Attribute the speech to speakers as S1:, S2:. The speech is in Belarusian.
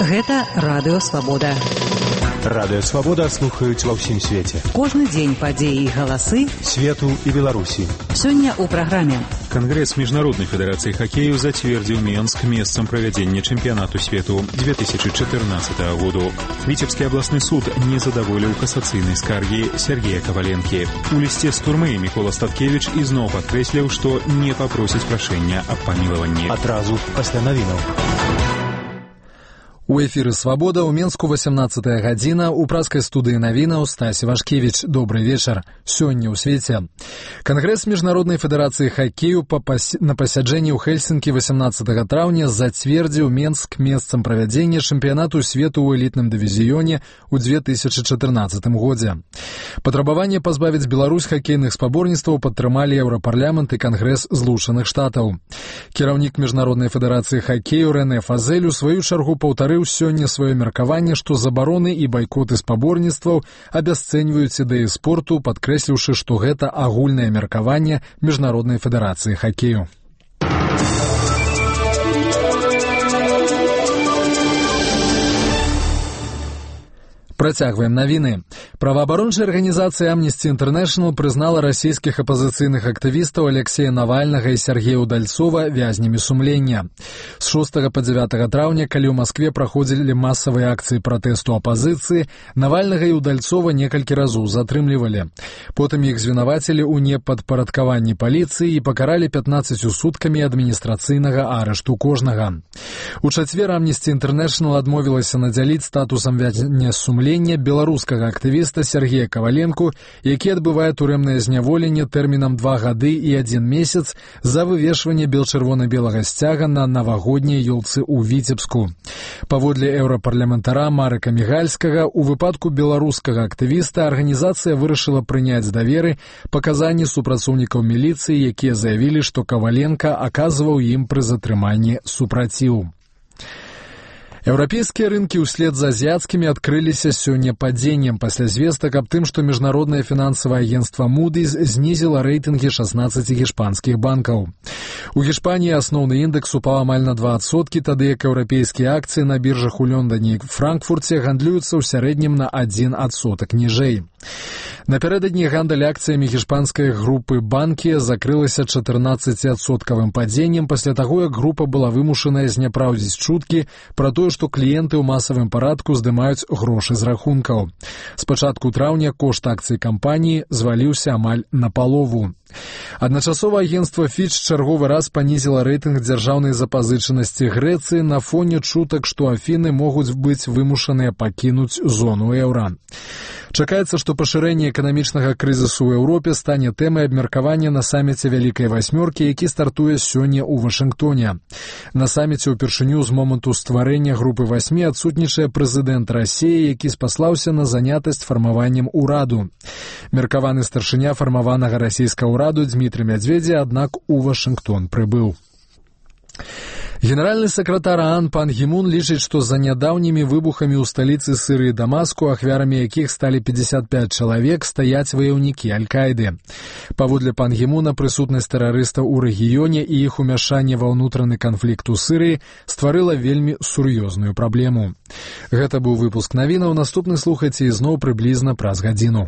S1: Гэта Радыё Свабода.
S2: Радыё Свабода слухаюць ва ўсім свеце.
S1: Кожны дзень падзеі і галасы
S2: свету і Беларусі.
S1: Сёння ў праграме.
S3: Кангрэс Міжнароднай федэрацыі хакею зацвердзіў Менск месцам правядзення чэмпіянату свету 2014 году. Віцебскі абласны суд не задаволіў касацыйнай скаргі Сергея Коваленкі. У лісце з турмы Мікола Статкевіч ізноў падкрэсліў, што не папросіць прашэння аб памілаванні.
S2: Адразу пасля навінаў.
S4: У эфіры «Свабода» ў Менску 18-я гадзіна, у праскай студыі навінаў Стась Вашкевіч. Добрый вечар. Сёння ў свеце. Кангрэс Міжнароднай федэрацыі хакею на пасяджэнні ў Хельсінкі 18 траўня зацвердзіў Менск месцам правядзення чэмпіянату свету ў элітным дывізіёне ў 2014 годзе. Патрабаванне пазбавіць Беларусь хакейных спаборніцтваў падтрымалі Еўрапарламент і Кангрэс Злучаных Штатаў. Кіраўнік Міжнароднай федэрацыі хакею Рэне Фазель у сваю чаргу паўтарыў сёння сваё меркаванне, што забароны і байкоты спаборніцтваў абясцэньваюць ідэі спорту, падкрэсліўшы, што гэта агульнае меркаванне Міжнароднай федэрацыі хакею. Працягваем навіны. Праваабарончая арганізацыя Amnesty International прызнала расійскіх апазіцыйных актывістаў Алексея Навальнага і Сергея Удальцова вязнямі сумлення. З 6 па 9 траўня, калі ў Маскве праходзілі масавыя акцыі пратэсту апазіцыі, Навальнага і Удальцова некалькі разоў затрымлівалі. Потым іх звінавацілі ў непадпарадкаванні паліцыі і пакаралі 15 суткамі адміністрацыйнага арышту кожнага. У чацвер Amnesty International адмовілася надзяліць статусам вязня сумлення беларускага актывіста Сергея Коваленку, які адбывае турэмнае зняволенне тэрмінам 2 гады і 1 месяц за вывешванне бел-чырвона-белага сцяга на навагодняй ёлцы ў Віцебску. Паводле еўрапарламентара Марыка Мігальскага, у выпадку беларускага актывіста арганізацыя вырашыла прыняць да веры паказанні супрацоўнікаў міліцыі, якія заявілі, што Коваленка аказваў ім пры затрыманні супраціў. Еўрапейскія рынкі ўслед за азіяцкімі адкрыліся сёння падзеннем пасля звестак аб тым, што міжнароднае фінансавае агенцтва Moody's знізіла рэйтынгі 16 гішпанскіх банкаў. У Гішпаніі асноўны індэкс упаў амаль на 2%, тады як еўрапейскія акцыі на біржах у Лондоне і Франкфурце гандлююцца ў сярэднім на 1% ніжэй. Напярэдадні гандаль акцыямі гішпанскай групы банкі закрылася 14% падзеннем пасля таго, як група была вымушаная зняпраўдзіць чуткі пра тое, што кліенты ў масавым парадку здымаюць грошы з рахункаў. З пачатку траўня кошт акцый кампаніі зваліўся амаль напалову. Адначасова агенцтва Fitch чарговы раз панізіла рэйтынг дзяржаўнай запазычанасці Грэцыі на фоне чутак, што Афіны могуць быць вымушаныя пакінуць зону еўра. Чакаецца, што пашырэнне эканамічнага крызісу ў Еўропе стане тэмай абмеркавання на саміце Вялікай Васьмёркі, які стартуе сёння ў Вашынгтоне. На саміце ўпершыню з моманту стварэння групы 8 адсутнічае прэзідэнт Расіі, які спаслаўся на занятасць фармаваннем ураду. Меркаваны старшыня фармаванага расійскага ўраду Дмітрый Мядзведзя, аднак у Вашынгтон прыбыў. Генеральны сакратар ААН Пан Гі Мун лічыць, што за нядаўнімі выбухамі ў сталіцы Сырыі Дамаску, ахвярамі якіх сталі 55 чалавек, стаяць ваяўнікі Аль-Каіды. Паводле Пан Гі Муна, прысутнасць тэрарыстаў у рэгіёне і іх умяшанне ва ўнутраны канфлікт у Сырыі стварыла вельмі сур'ёзную праблему. Гэта быў выпуск навінаў, наступны слухайце ізноў прыблізна праз гадзіну.